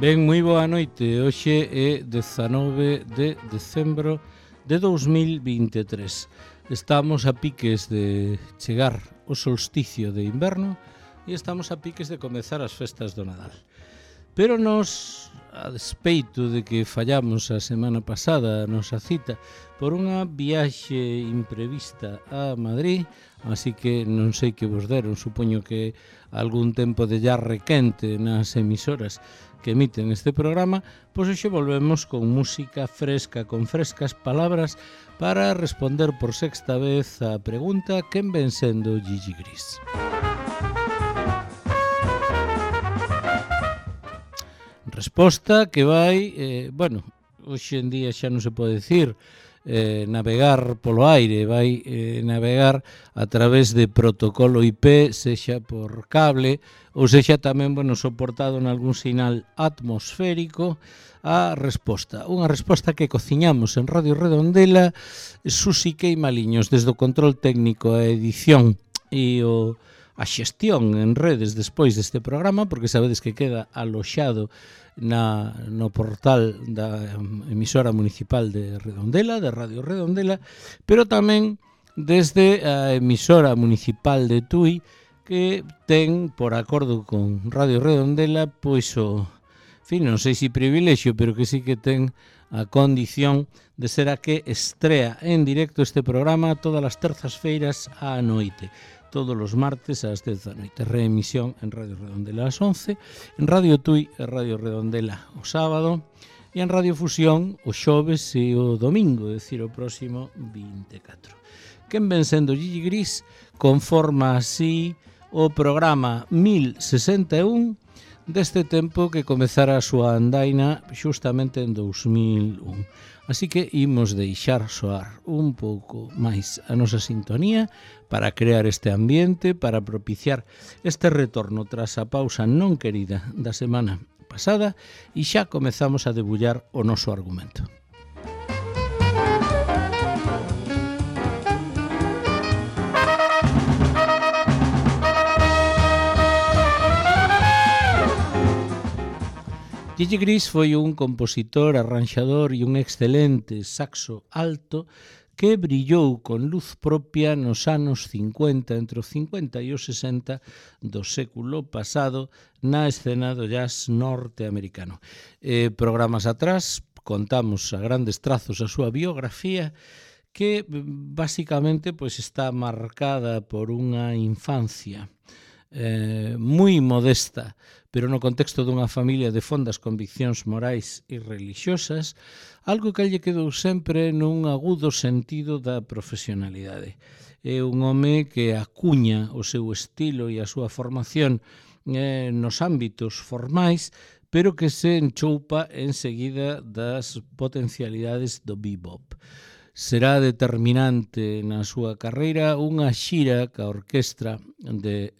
Ben, moi boa noite. Hoxe é 19 de decembro de 2023. Estamos a piques de chegar o solsticio de inverno e estamos a piques de comezar as festas do Nadal. Pero nos, a despeito de que fallamos a semana pasada a nosa cita por unha viaxe imprevista a Madrid, así que non sei que vos deron, supoño que algún tempo de llarre quente nas emisoras que emiten este programa, pois hoxe volvemos con música fresca, con frescas palabras para responder por sexta vez a pregunta quen ven sendo Gigi Gris. Resposta que vai, hoxe en día xa non se pode decir navegar polo aire, vai navegar a través de protocolo IP, sexa por cable, ou sexa tamén, soportado en algún sinal atmosférico, a resposta. Unha resposta que cociñamos en Radio Redondela, Susi Queimaliños, desde o control técnico, a edición e a xestión en redes despois deste programa, porque sabedes que queda aloxado no portal da emisora municipal de Redondela, de Radio Redondela, pero tamén desde a emisora municipal de Tui, que ten, por acordo con Radio Redondela, pois non sei se privilexio, pero que sí que ten a condición de ser a que estrea en directo este programa todas as terzas-feiras á noite. Todos os martes ás 10 da noite. Reemisión en Radio Redondela ás 11, en Radio Tui e Radio Redondela o sábado e en Radio Fusión o xoves e o domingo, é dicir, o próximo 24. Quen ven sendo Gigi Gris conforma así o programa 1061 deste tempo que comezara a súa andaina xustamente en 2001. Así que imos deixar soar un pouco máis a nosa sintonía para crear este ambiente, para propiciar este retorno tras a pausa non querida da semana pasada e xa comezamos a debullar o noso argumento. Gigi Gris foi un compositor, arranxador e un excelente saxo alto que brillou con luz propia nos anos 50, entre os 50 e os 60 do século pasado na escena do jazz norteamericano. Programas atrás contamos a grandes trazos a súa biografía, que basicamente está marcada por unha infancia moi modesta, pero no contexto dunha familia de fondas conviccións morais e religiosas, algo que lle quedou sempre nun agudo sentido da profesionalidade. É un home que acuña o seu estilo e a súa formación nos ámbitos formais, pero que se enchoupa enseguida das potencialidades do bebop. Será determinante na súa carreira unha xira ca orquestra de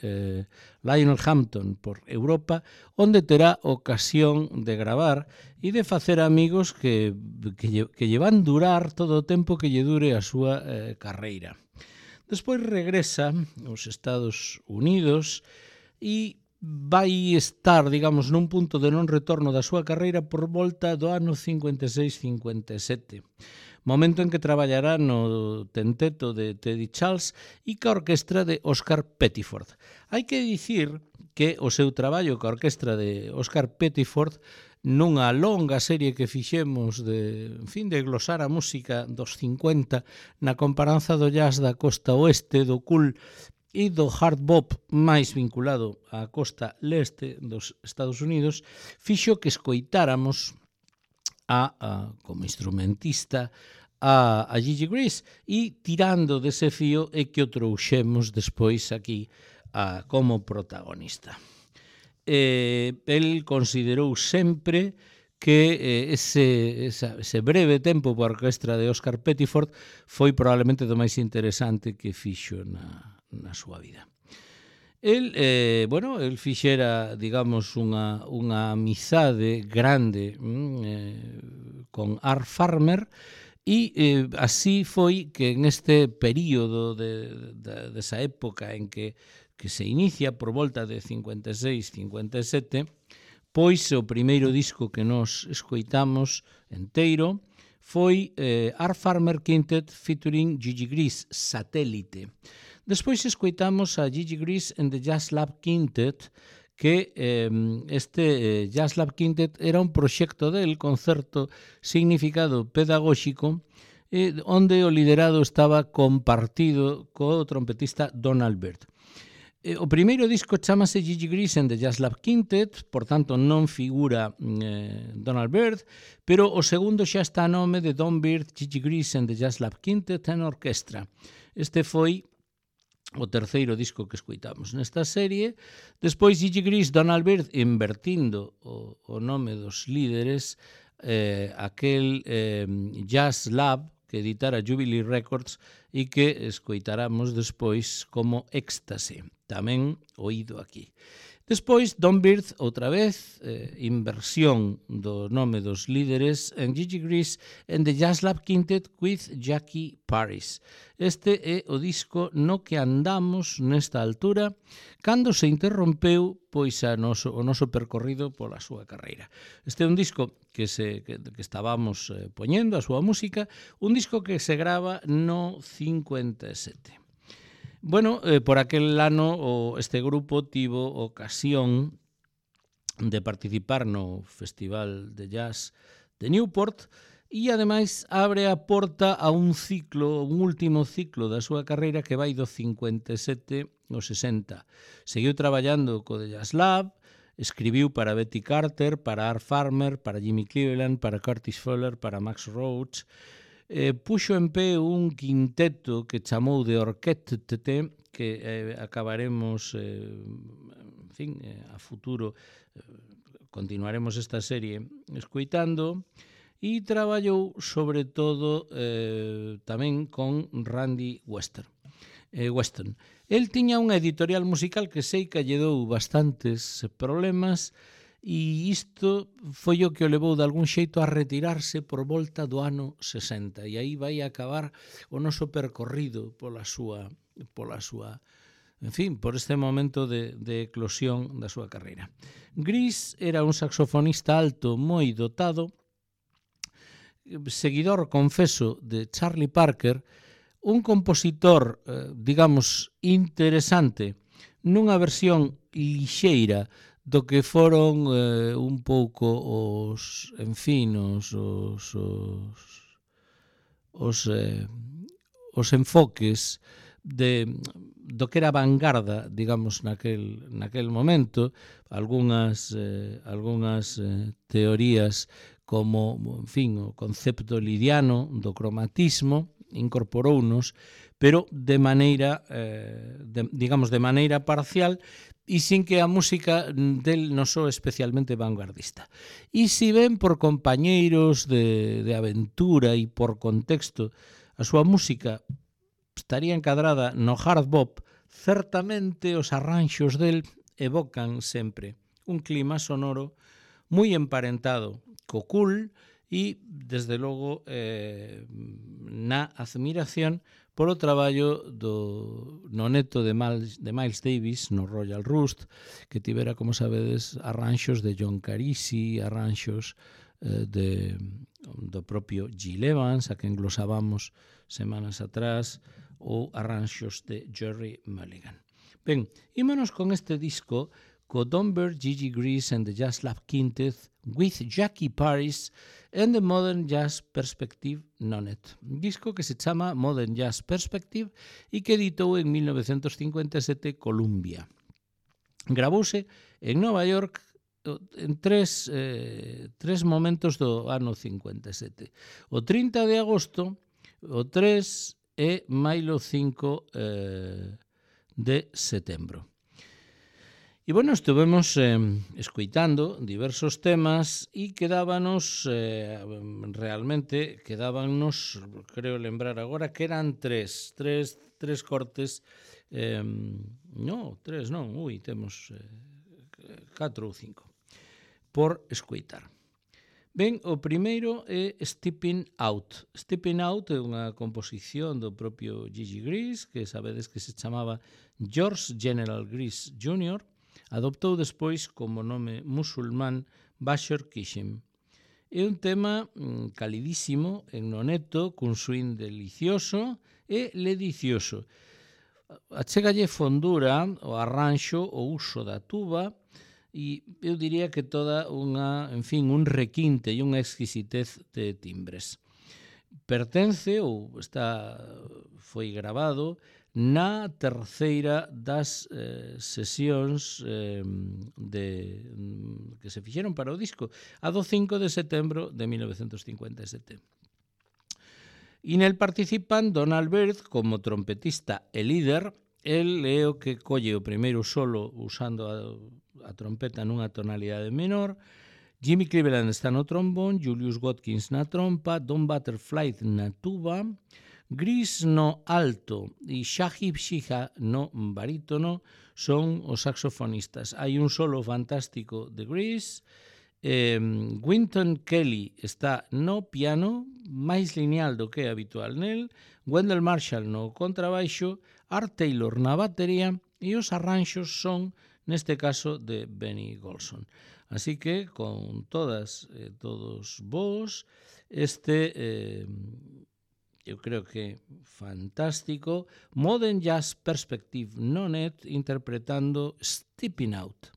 Lionel Hampton por Europa, onde terá ocasión de gravar e de facer amigos que lle van durar todo o tempo que lle dure a súa carreira. Despois regresa aos Estados Unidos e vai estar, digamos, nun punto de non retorno da súa carreira por volta do ano 56-57. Momento en que traballará no tenteto de Teddy Charles e ca orquestra de Oscar Pettiford. Hai que dicir que o seu traballo ca orquestra de Oscar Pettiford nunha longa serie que fixemos de glosar a música dos 50 na comparanza do jazz da costa oeste, do cool e do hard bop máis vinculado á costa leste dos Estados Unidos, fixo que escoitáramos como instrumentista a Gigi Gris e tirando dese fío é que o trouxemos despois aquí como protagonista. El considerou sempre que ese breve tempo por orquestra de Oscar Pettiford foi probablemente do máis interesante que fixo na súa vida. El fixera, digamos, unha amizade grande con Art Farmer e así foi que en este período desa época en que se inicia por volta de 56-57, Despois, o primeiro disco que nos escoitamos enteiro foi Art Farmer Quintet featuring Gigi Gris, Satélite. Despois escoitamos a Gigi Gris and the Jazz Lab Quintet, que este Jazz Lab Quintet era un proxecto del concerto significado pedagóxico onde o liderado estaba compartido co trompetista Donald Byrd. O primeiro disco chamase Gigi Gris and the Jazz Lab Quintet, por tanto non figura Donald Byrd, pero o segundo xa está a nome de Don Byrd, Gigi Gris and the Jazz Lab Quintet and Orchestra. Este foi o terceiro disco que escoitamos nesta serie. Despois Gigi Gris, Donald Byrd, invertindo o nome dos líderes, aquel Jazz Lab que editara Jubilee Records e que escoitaramos despois como Éxtase, tamén oído aquí. Despois, Don Byrd, outra vez, inversión do nome dos líderes en Gigi Gris and the Jazz Lab Quintet with Jackie Paris. Este é o disco no que andamos nesta altura cando se interrompeu pois o noso percorrido pola súa carreira. Este é un disco que estábamos poñendo a súa música, un disco que se grava no 57. Bueno, por aquel ano este grupo tivo ocasión de participar no Festival de Jazz de Newport e ademais abre a porta a un último ciclo da súa carreira que vai do 57 ao 60. Seguiu traballando co The Jazz Lab, escribiu para Betty Carter, para Art Farmer, para Jimmy Cleveland, para Curtis Fuller, para Max Roach. Puxo en pé un quinteto que chamou de Orquette, que acabaremos a futuro continuaremos esta serie escoitando, e traballou sobre todo tamén con Randy Weston. El tiña unha editorial musical que sei que lle dou bastantes problemas, e isto foi o que o levou de algún xeito a retirarse por volta do ano 60, e aí vai acabar o noso percorrido pola súa, en fin, por este momento de eclosión da súa carreira. Gris era un saxofonista alto moi dotado, seguidor, confeso, de Charlie Parker, un compositor, digamos, interesante, nunha versión lixeira do que foron un pouco os enfoques do que era a vanguarda, digamos, naquel momento. Algunhas teorías como, en fin, o concepto lidiano do cromatismo incorporounos, pero de maneira, digamos, de maneira parcial, e sin que a música del non soe especialmente vanguardista. E se ven por compañeiros de aventura e por contexto a súa música estaría encadrada no hard bop, certamente os arranxos del evocan sempre un clima sonoro moi emparentado co cool e, desde logo, na admiración polo traballo no neto de Miles Davis no Royal Rust, que tivera, como sabedes, arranxos de John Carisi, arranxos do propio Gil Evans, a que englosábamos semanas atrás, ou arranxos de Jerry Mulligan. Ben, ímonos con este disco, co Don Byrd, Gigi Gris and the Jazz Lab Quintet with Jackie Paris and the Modern Jazz Perspective Nonet. Un disco que se chama Modern Jazz Perspective e que editou en 1957 Columbia. Gravouse en Nova York en tres momentos do ano 57. O 30 de agosto, o 3 e mailo 5 de setembro. E, bueno, estuvemos escoitando diversos temas e quedábanos, creo lembrar agora, que eran tres cortes, temos 4 ou 5, por escoitar. Ben, o primeiro é Stepping Out. Stepping Out é unha composición do propio Gigi Gris, que sabedes que se chamaba George General Gris Jr., Adoptou despois como nome musulmán Bashar Kishim. É un tema calidísimo en noneto, cun swing delicioso e ledicioso. Achégalle fondura, o arranxo, o uso da tuba, e eu diría que toda unha, en fin, un requinte e unha exquisitez de timbres. Pertence ou foi grabado na terceira das sesións que se fixeron para o disco, a do 5 de setembro de 1957. E nel participan Donald Byrd como trompetista e líder. El é o que colle o primeiro solo usando a trompeta nunha tonalidade menor. Jimmy Cleveland está no trombón, Julius Watkins na trompa, Don Butterfly na tuba, Gris no alto e Shahib Shiha no barítono son os saxofonistas. Hai un solo fantástico de Gris. Wynton Kelly está no piano, máis lineal do que é habitual nel, Wendell Marshall no contrabaixo, Art Taylor na batería e os arranxos son, neste caso, de Benny Golson. Así que, con todos vos, eu creo que fantástico, Modern Jazz Perspective no net interpretando Stepping Out.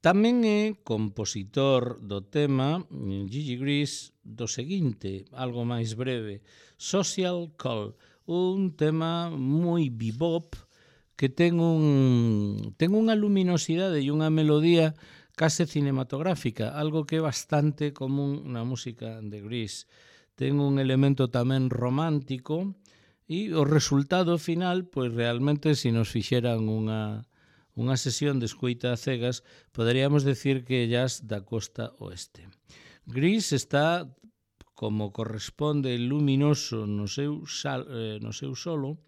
Tamén é compositor do tema Gigi Grease do seguinte, algo máis breve, Social Call, un tema moi bebop que ten unha luminosidade e unha melodía case cinematográfica, algo que é bastante común na música de Grease. Ten un elemento tamén romántico e o resultado final, pois realmente, se nos fixeran unha sesión de escoita a cegas, poderíamos decir que jazz da costa oeste. Grease está, como corresponde, luminoso no seu solo,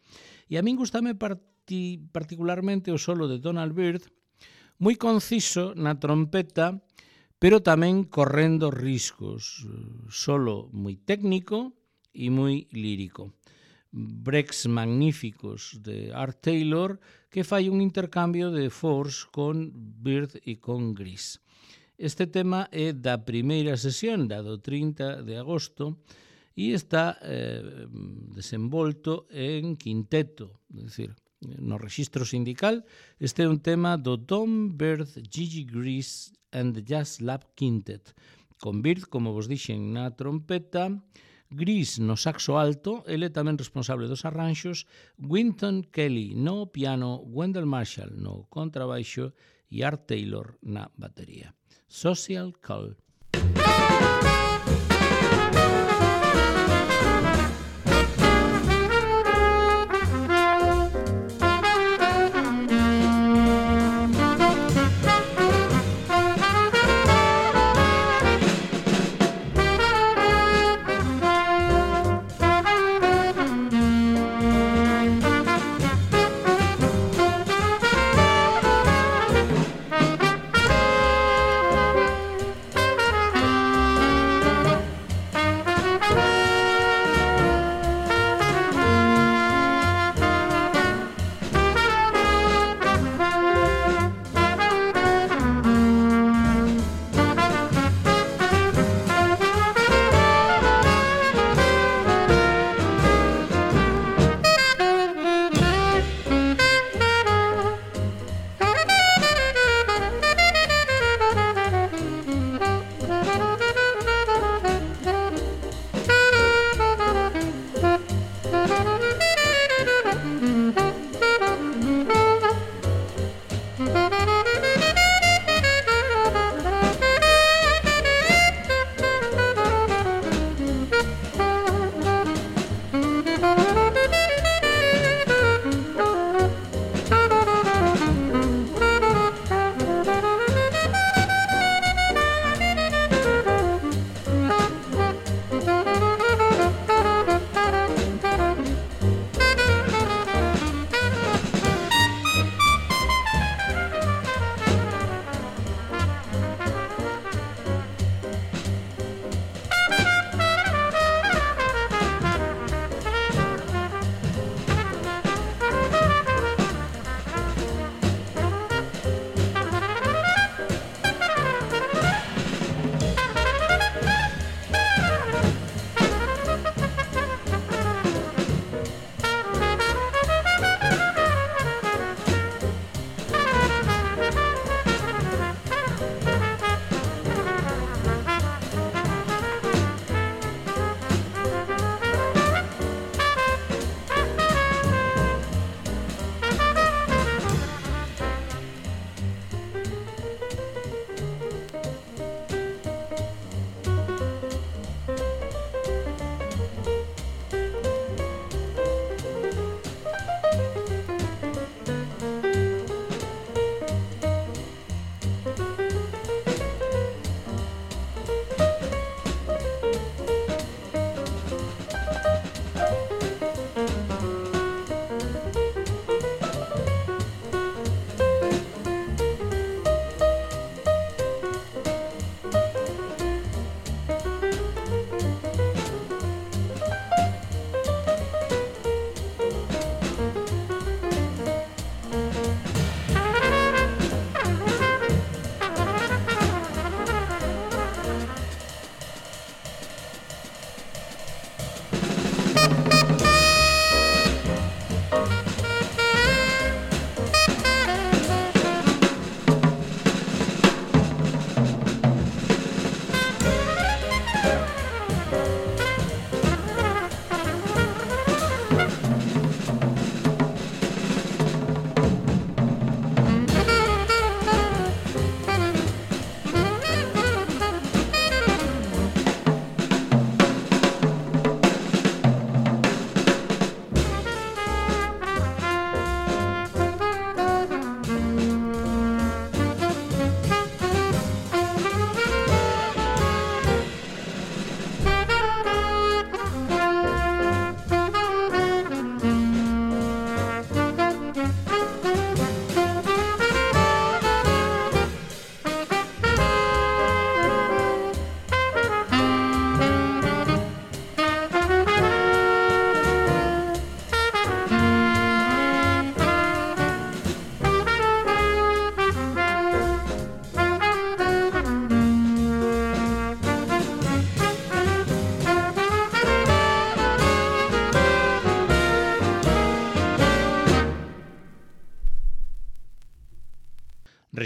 e a min gustame particularmente o solo de Donald Byrd, moi conciso na trompeta, pero tamén correndo riscos, solo moi técnico e moi lírico. Breaks magníficos de Art Taylor, que fai un intercambio de force con Byrd e con Grease. Este tema é da primeira sesión, da do 30 de agosto, e está desenvolto en quinteto, é dicir, no rexistro sindical. Este é un tema do Tom Byrd, Gigi Grease and the Jazz Lab Quintet, con Byrd, como vos dixen, na trompeta, Grease no saxo alto, ele tamén responsable dos arranxos, Wynton Kelly no piano, Wendell Marshall no contrabaixo e Art Taylor na batería. Social Call.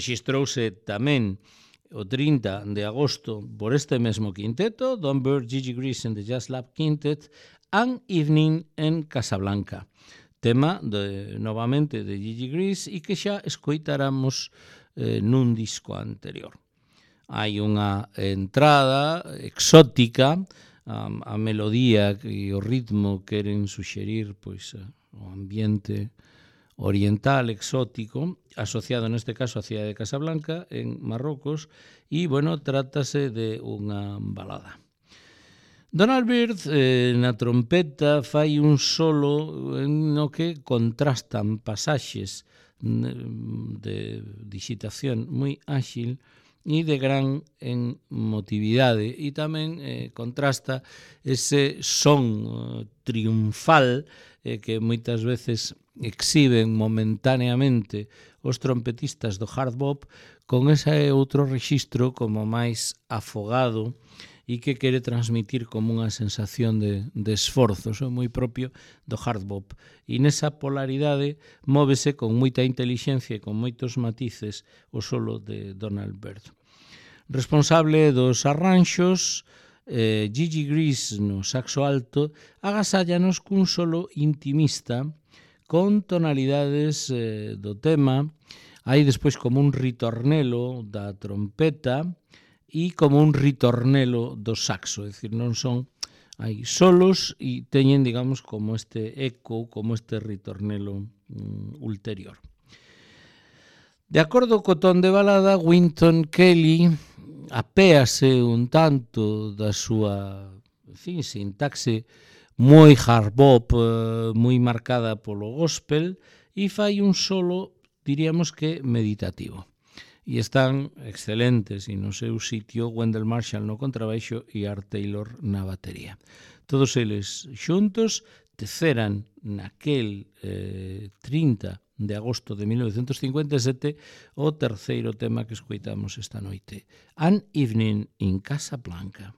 Rexistrouse tamén o 30 de agosto por este mesmo quinteto, Don Byrd, Gigi Grease and the Jazz Lab Quintet, An Evening en Casablanca. Tema novamente de Gigi Grease e que xa escoitaramos nun disco anterior. Hai unha entrada exótica, a melodía e o ritmo queren suxerir pois o ambiente oriental, exótico, asociado neste caso á cidade de Casablanca, en Marrocos, e, bueno, trátase de unha balada. Donald Byrd, na trompeta, fai un solo no que contrastan pasaxes de digitación moi áxil e de gran emotividade, e tamén contrasta ese son triunfal que moitas veces exhiben momentáneamente os trompetistas do hard bop con ese outro rexistro como máis afogado e que quere transmitir como unha sensación de esforzo, é moi propio do hard bop. E nesa polaridade móvese con moita intelixencia e con moitos matices o solo de Donald Byrd. Responsable dos arranxos, Gigi Grease no saxo alto, agasállanos cun solo intimista con tonalidades do tema. Hai despois como un ritornelo da trompeta e como un ritornelo do saxo, é dicir, non son, hai solos e teñen, digamos, como este eco, como este ritornelo ulterior. De acordo co ton de balada, Wynton Kelly apéase un tanto da súa, en fin, sintaxe moi hard bop, moi marcada polo gospel, e fai un solo, diríamos que meditativo. E están excelentes e no seu sitio Wendell Marshall no contrabaixo e Art Taylor na batería. Todos eles xuntos teceran naquel 30 de agosto de 1957 o terceiro tema que escoitamos esta noite, An Evening in Casablanca.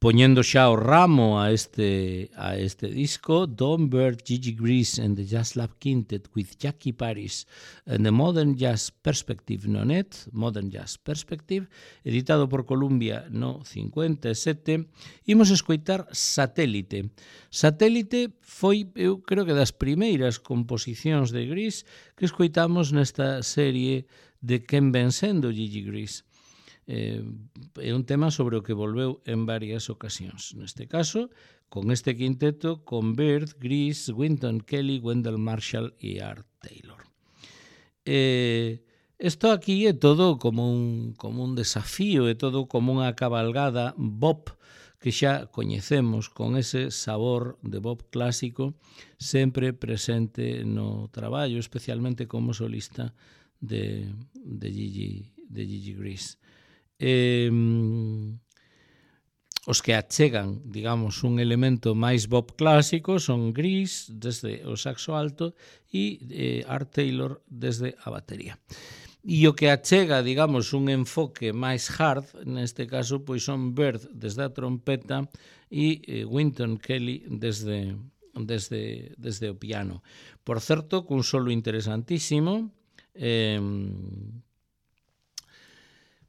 Poñendo xa o ramo a este disco, Don Bird, Gigi Grease and the Jazz Lab Quintet with Jackie Paris and the Modern Jazz Perspective no net, Modern Jazz Perspective, editado por Columbia no 57, imos escoitar Satélite. Satélite foi, eu creo que das primeiras composicións de Grease que escoitamos nesta serie de Quen ven sendo Gigi Grease. É un tema sobre o que volveu en varias ocasións. Neste caso, con este quinteto, con Bird, Grease, Wynton Kelly, Wendell Marshall e Art Taylor. Isto aquí é todo como un desafío, é todo como unha cabalgada bop que xa coñecemos, con ese sabor de bop clásico sempre presente no traballo, especialmente como solista de Gigi Grease. Os que achegan, digamos, un elemento máis bop clásico son Grease desde o saxo alto e Art Taylor desde a batería. E o que achega, digamos, un enfoque máis hard, neste caso, pois son Bird desde a trompeta e Wynton Kelly desde o piano. Por certo, cun solo interesantísimo,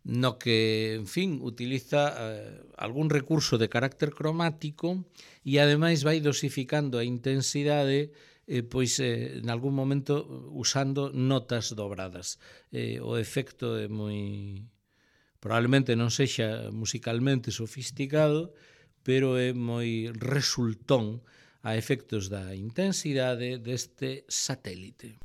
no que, en fin, utiliza algún recurso de carácter cromático e ademais vai dosificando a intensidade pois en algún momento usando notas dobradas. O efecto é moi... probablemente non sexa musicalmente sofisticado, pero é moi resultón a efectos da intensidade deste Satélite.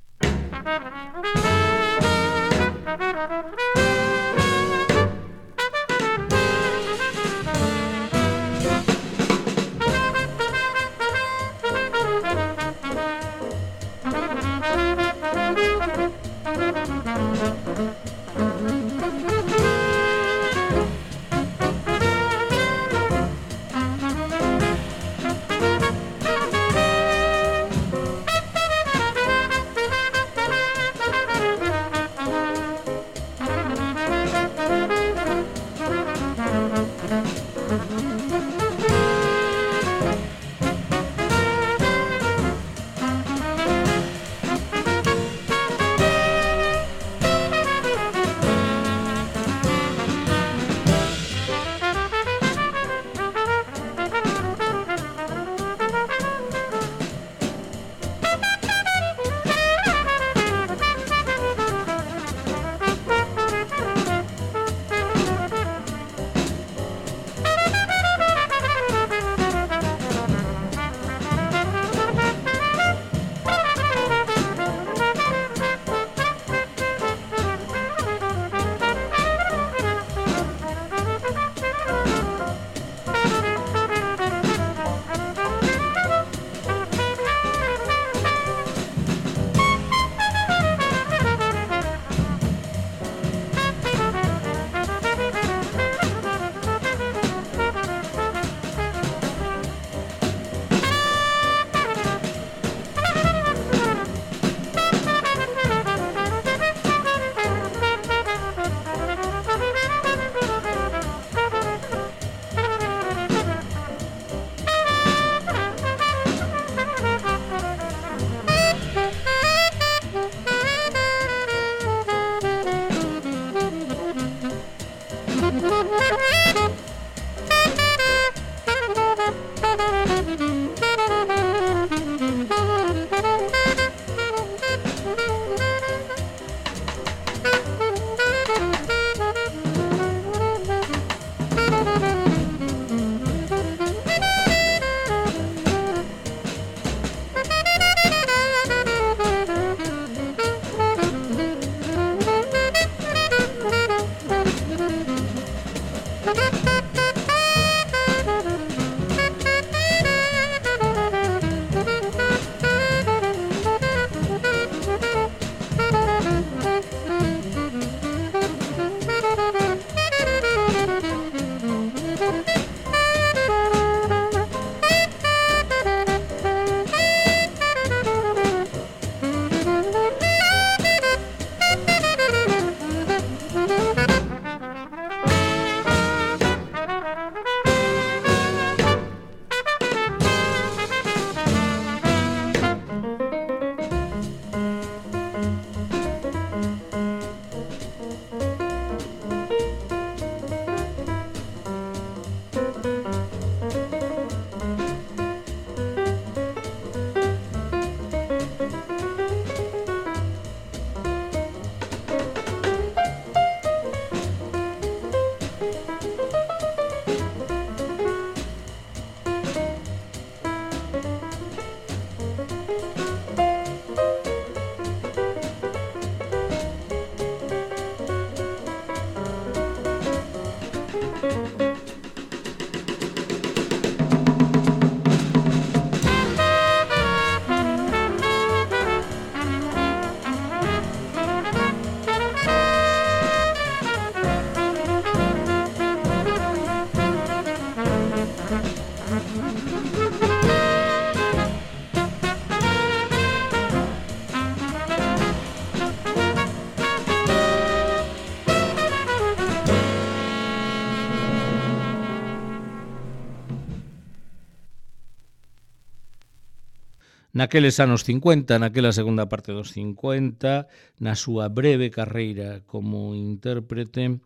Naqueles anos 50, naquela segunda parte dos 50, na súa breve carreira como intérprete,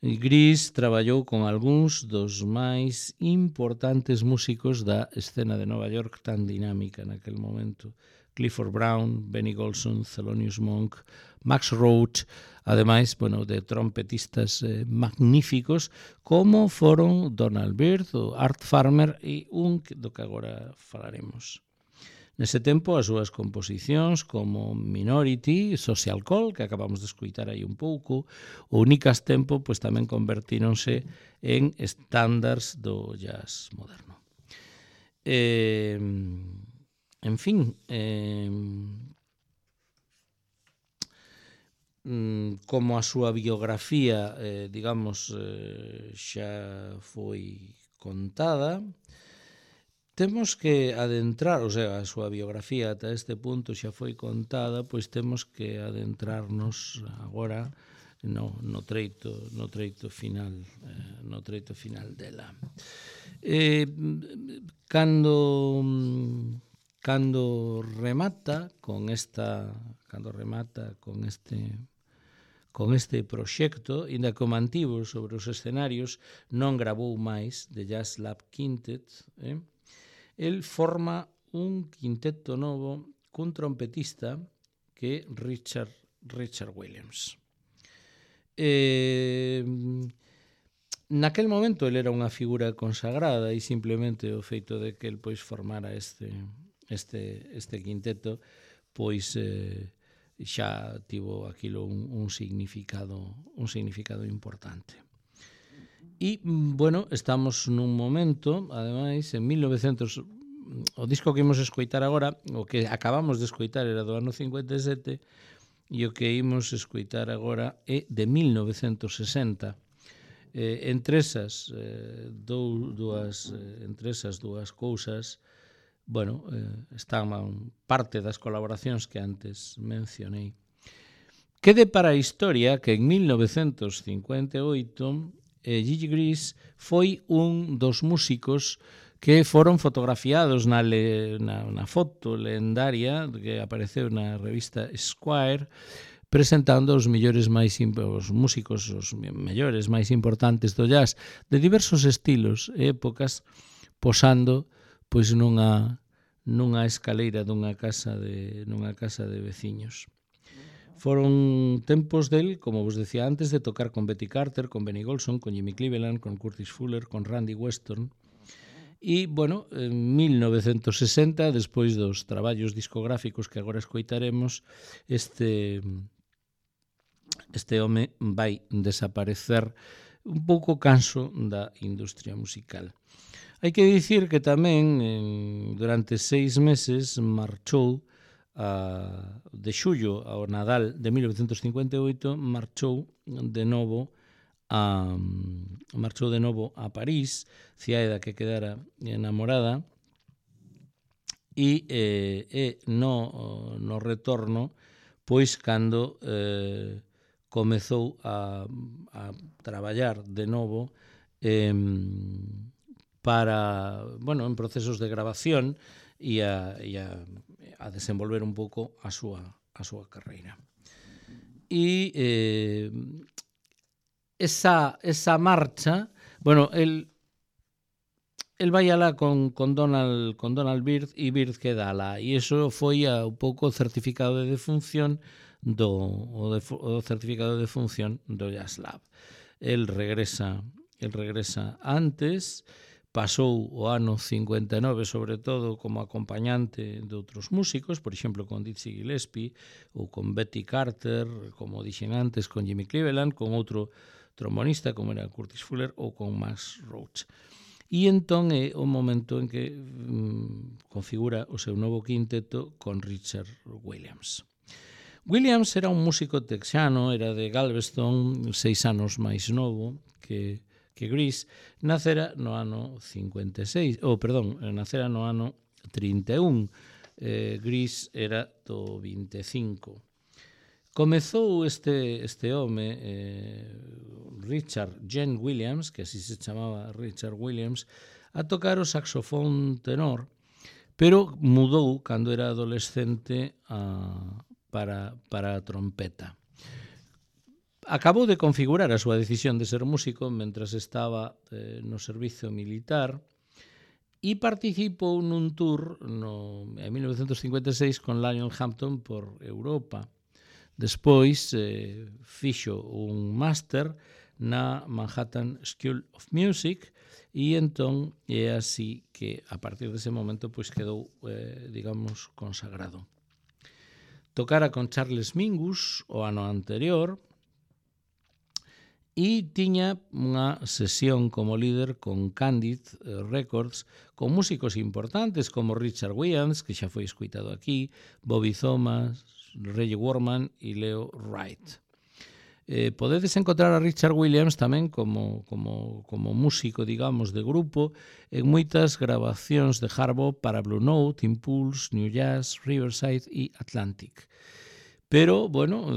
Gris traballou con algúns dos máis importantes músicos da escena de Nova York tan dinámica naquel momento. Clifford Brown, Benny Golson, Thelonious Monk, Max Roach, ademais, bueno, de trompetistas magníficos como foron Donald Byrd, o Art Farmer e un do que agora falaremos. Nese tempo, as súas composicións como Minority, Social Call, que acabamos de escuitar aí un pouco, ou Nicas Tempo, pois tamén convertíronse en estándares do jazz moderno. En fin, como a súa biografía, digamos, xa foi contada, temos que adentrar, o sea, a súa biografía ata este punto xa foi contada, pois temos que adentrarnos agora no treito final dela. Cando remata con este proxecto, inda que o mantivo sobre os escenarios, non gravou máis de Jazz Lab Quintet, el forma un quinteto novo cun trompetista que é Richard Williams. Naquel momento ele era unha figura consagrada e simplemente o feito de que el pois formara este quinteto pois xa tivo aquilo un significado importante. E, bueno, estamos nun momento, ademais, en 1900, o disco que imos escoitar agora, o que acabamos de escoitar era do ano 57, e o que imos escoitar agora é de 1960. Entre esas dúas cousas, bueno, están parte das colaboracións que antes mencionei. Quede para a historia que en 1958 Gigi Gris foi un dos músicos que foron fotografiados na foto lendaria que apareceu na revista Esquire, presentando os mellores músicos, os mellores máis importantes do jazz de diversos estilos e épocas, posando pois nunha escaleira dunha casa de veciños. Foron tempos del, como vos decía antes, de tocar con Betty Carter, con Benny Golson, con Jimmy Cleveland, con Curtis Fuller, con Randy Weston. E, bueno, en 1960, despois dos traballos discográficos que agora escoitaremos, este home vai desaparecer un pouco canso da industria musical. Hai que dicir que tamén durante 6 meses marchou de xullo ao Nadal de 1958, marchou de novo a París, cidade da que quedara enamorada, e no retorno, pois cando comezou a traballar de novo para, bueno, en procesos de grabación e a desenvolver un pouco a súa carreira. E esa marcha, bueno, el vai alá con Donald Byrd e Byrd queda alá, e iso foi un pouco o certificado de defunción do Jazz Lab. El regresa antes, pasou o ano 59, sobre todo, como acompañante de outros músicos, por exemplo, con Dizzy Gillespie, ou con Betty Carter, como dixen antes, con Jimmy Cleveland, con outro trombonista, como era Curtis Fuller, ou con Max Roach. E entón é o momento en que configura o seu novo quinteto con Richard Williams. Williams era un músico texano, era de Galveston, 6 anos máis novo que Gris, nacera no ano 56, nacera no ano 31. Gris era do 25. Comezou este home, Richard Gene Williams, que así se chamaba Richard Williams, a tocar o saxofón tenor, pero mudou cando era adolescente para a trompeta. Acabou de configurar a súa decisión de ser músico mentras estaba no servizo militar e participou nun tour en 1956 con Lionel Hampton por Europa. Despois fixo un máster na Manhattan School of Music e entón é así que a partir dese momento pois quedou, digamos, consagrado. Tocara con Charles Mingus o ano anterior e tiña unha sesión como líder con Candid Records con músicos importantes como Richard Williams, que xa foi escuitado aquí, Bobby Thomas, Reggie Worman e Leo Wright. Podedes encontrar a Richard Williams tamén como músico, digamos, de grupo en moitas grabacións de hard bop para Blue Note, Impulse, New Jazz, Riverside e Atlantic. Pero, bueno,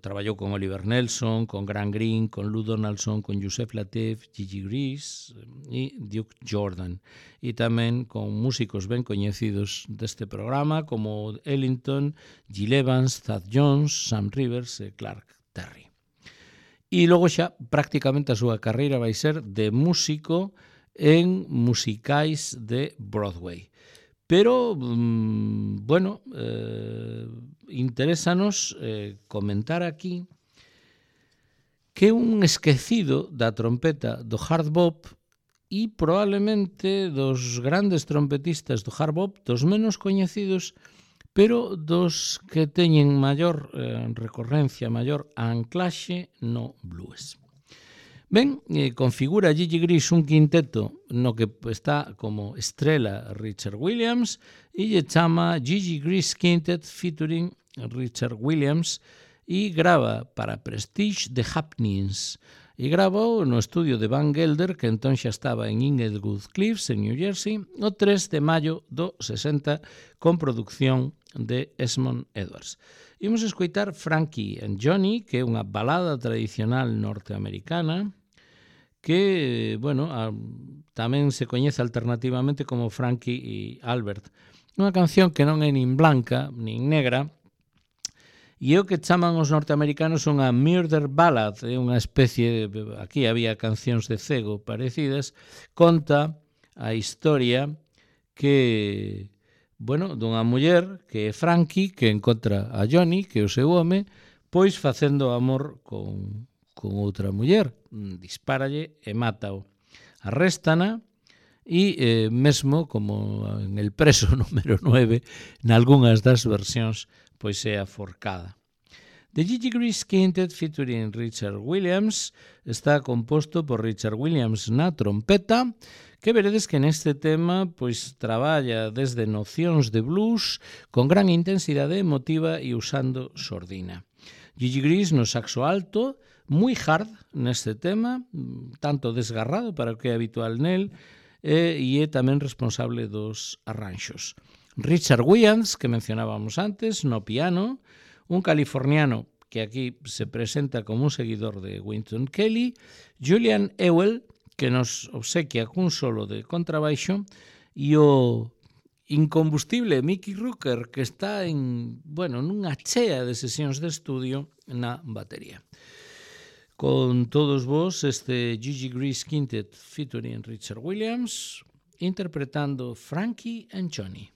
traballou con Oliver Nelson, con Grant Green, con Lou Donaldson, con Yusef Lateef, Gigi Gris e Duke Jordan. E tamén con músicos ben coñecidos deste programa como Ellington, Gil Evans, Thad Jones, Sam Rivers e Clark Terry. E logo xa prácticamente a súa carreira vai ser de músico en musicais de Broadway. Pero, bueno, interésanos comentar aquí que un esquecido da trompeta do hard bop e probablemente dos grandes trompetistas do hard bop, dos menos coñecidos, pero dos que teñen maior recorrencia, maior anclaxe no blues. Ben, configura Gigi Gris un quinteto no que está como estrela Richard Williams e lle chama Gigi Gris Quintet featuring Richard Williams e grava para Prestige The Happenings e gravou no estudio de Van Gelder, que entón xa estaba en Inglewood Cliffs, en New Jersey, o 3 de maio do 60 con producción de Esmond Edwards. Imos escoitar Frankie and Johnny, que é unha balada tradicional norteamericana, que, bueno, tamén se coñece alternativamente como Frankie e Albert. Unha canción que non é nin blanca, nin negra, e o que chaman os norteamericanos unha murder ballad, é unha especie de, aquí había cancións de cego parecidas, conta a historia que, bueno, dunha muller que é Frankie, que encontra a Johnny, que é o seu home, pois facendo amor con outra muller, dispáralle e mátao. Arréstana e mesmo, como en El preso número 9, nalgúnas das versións, pois é aforcada. The Gigi Gris Quintet featuring Richard Williams está composto por Richard Williams na trompeta, que veredes que neste tema pois traballa desde nocións de blues con gran intensidade emotiva e usando sordina. Gigi Gris no saxo alto, moi hard neste tema, tanto desgarrado para o que é habitual nel, e é tamén responsable dos arranxos. Richard Williams, que mencionábamos antes, no piano, un californiano que aquí se presenta como un seguidor de Wynton Kelly, Julian Ewell, que nos obsequia cun solo de contrabaixo, e o incombustible Mickey Rooker, que está nunha chea de sesións de estudio na batería. Con todos vos, este Gigi Gris Quintet featuring Richard Williams, interpretando Frankie and Johnny.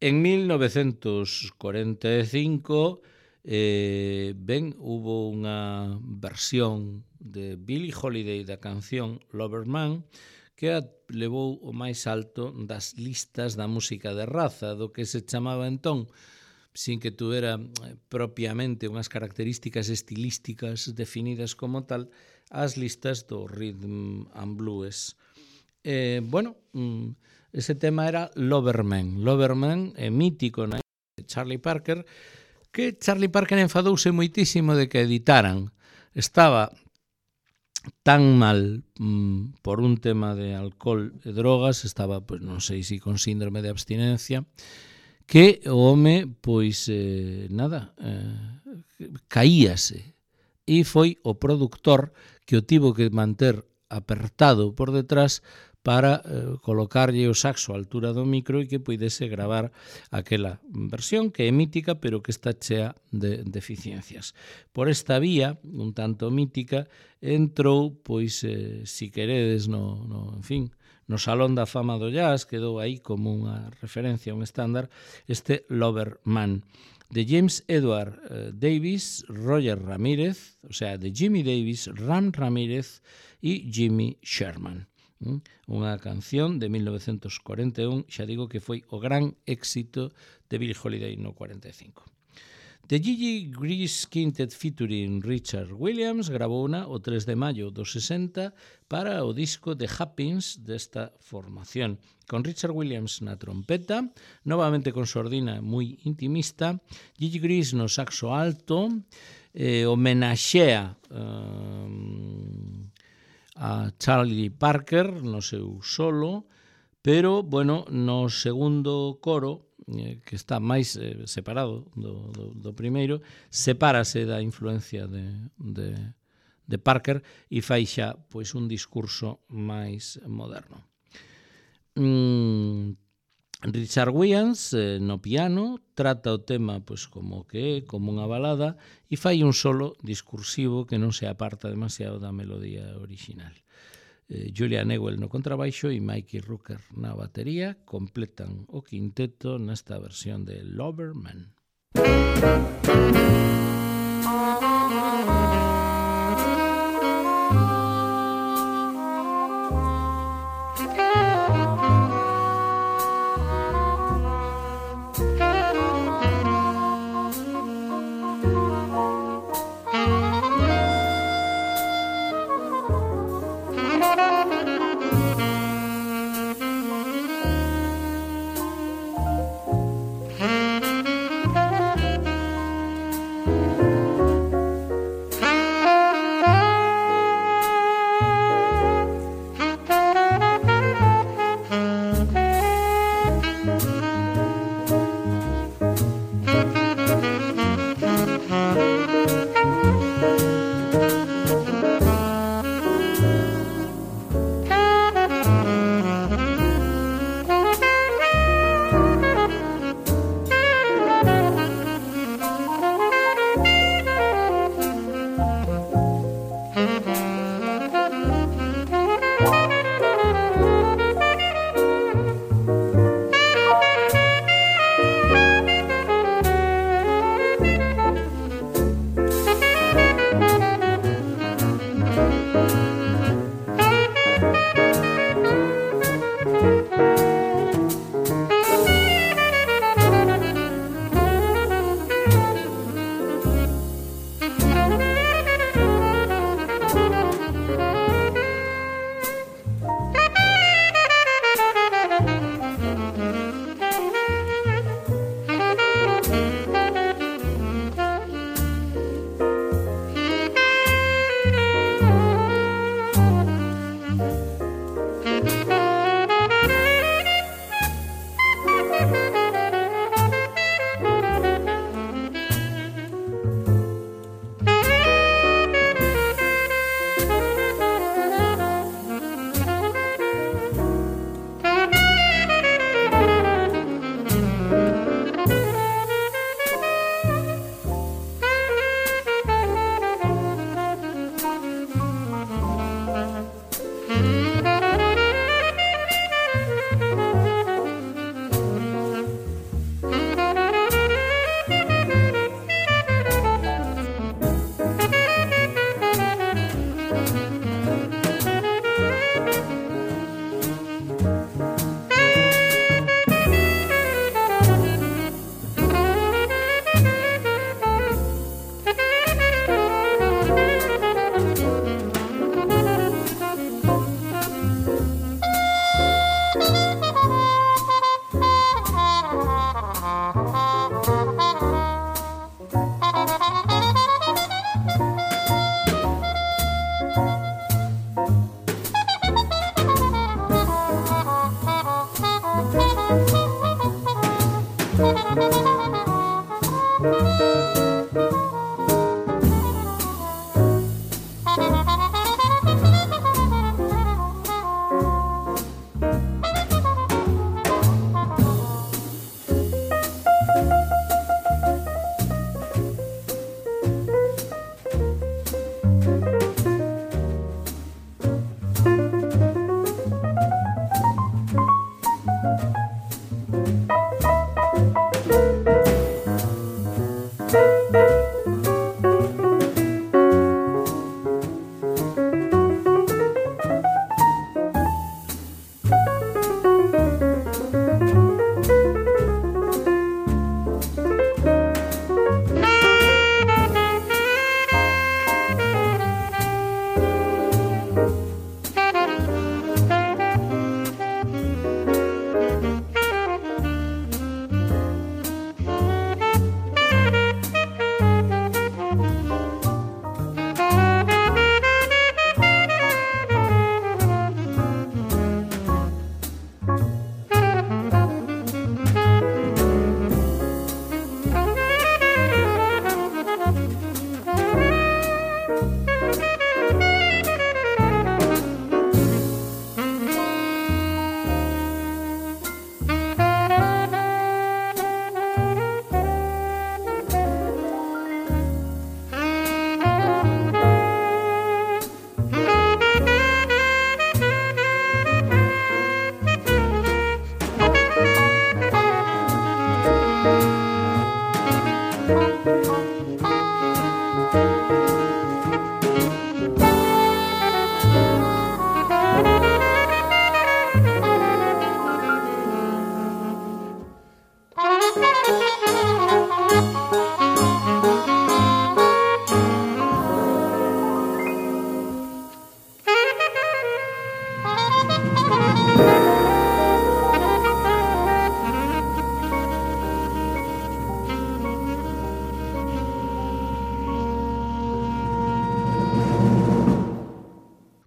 En 1945 hubo unha versión de Billie Holiday da canción Loverman que a levou o máis alto das listas da música de raza, do que se chamaba entón, sin que tuvera propiamente unhas características estilísticas definidas como tal, as listas do rhythm and blues. Ese tema era Loverman. Loverman é mítico na de Charlie Parker, que Charlie Parker enfadouse moitísimo de que editaran. Estaba tan mal por un tema de alcohol e drogas, estaba, pois non sei se con síndrome de abstinencia, que o home, pois, caíase. E foi o productor que o tivo que manter apertado por detrás para colocarlle o saxo á altura do micro e que puidese gravar aquela versión que é mítica pero que está chea de deficiencias. Por esta vía, un tanto mítica, entrou, pois, si queredes, no Salón da Fama do Jazz, quedou aí como unha referencia, un estándar, este Loverman, de James Edward Davis, Roger Ramírez, o sea, de Jimmy Davis, Ram Ramírez e Jimmy Sherman. Unha canción de 1941, xa digo que foi o gran éxito de Billie Holiday no 45. The Gigi Grease Quintet featuring Richard Williams gravouna o 3 de maio do 60 para o disco The Happens desta formación, con Richard Williams na trompeta, novamente con sordina moi intimista, Gigi Grease no saxo alto, homenaxea a Charlie Parker no seu solo, pero, no segundo coro, que está máis separado do primeiro, sepárase da influencia de Parker e fai xa pois un discurso máis moderno. Richard Williams no piano trata o tema pois como que é, como unha balada, e fai un solo discursivo que non se aparta demasiado da melodía original. Julian Ewell no contrabaixo e Mikey Rooker na batería completan o quinteto nesta versión de Loverman.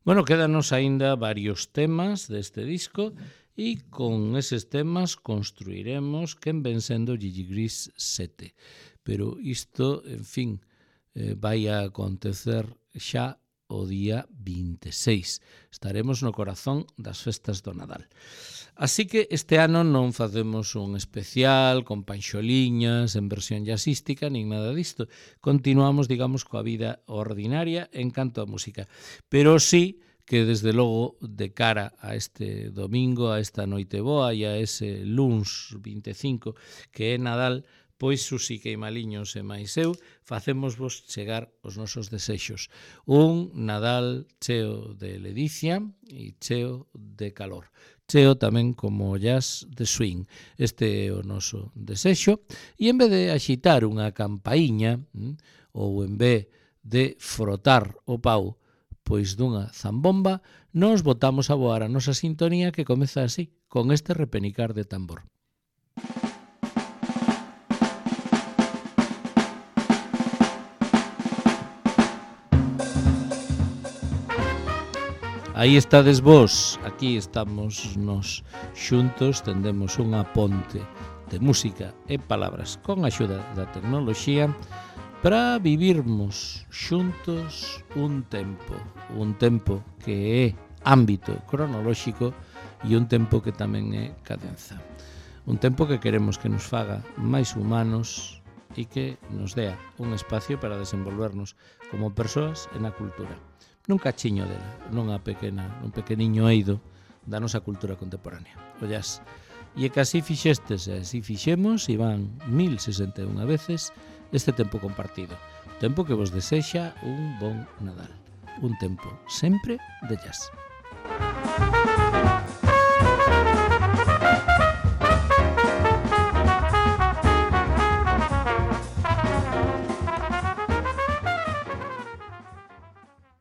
Bueno, quédanos aínda varios temas deste disco e con eses temas construiremos quen ven sendo Gigi Gris 7. Pero isto, en fin, vai a acontecer xa o día 26. Estaremos no corazón das festas do Nadal. Así que este ano non facemos un especial con panxoliñas en versión jazzística nin nada disto. Continuamos, digamos, coa vida ordinaria en canto a música. Pero sí que desde logo de cara a este domingo, a esta noite boa e a ese luns 25 que é Nadal, pois Susi Queimaliños e máis eu facémosvos chegar os nosos desexos. Un Nadal cheo de ledicia e cheo de calor. Cheo tamén como jazz de swing. Este é o noso desexo. E en vez de axitar unha campaíña, ou en vez de frotar o pau pois dunha zambomba, nos botamos a voar a nosa sintonía que comeza así, con este repenicar de tambor. Aí estades vos, aquí estamos nos xuntos, tendemos unha ponte de música e palabras con axuda da tecnoloxía para vivirmos xuntos un tempo que é ámbito cronolóxico e un tempo que tamén é cadenza. Un tempo que queremos que nos faga máis humanos e que nos dea un espacio para desenvolvernos como persoas e na cultura. Nun cachiño dela, un pequeniño eido da nosa cultura contemporánea, o jazz. E que así fixestes e así fixemos, e van 1061 veces, este tempo compartido. Tempo que vos desexa un bon Nadal. Un tempo sempre de jazz.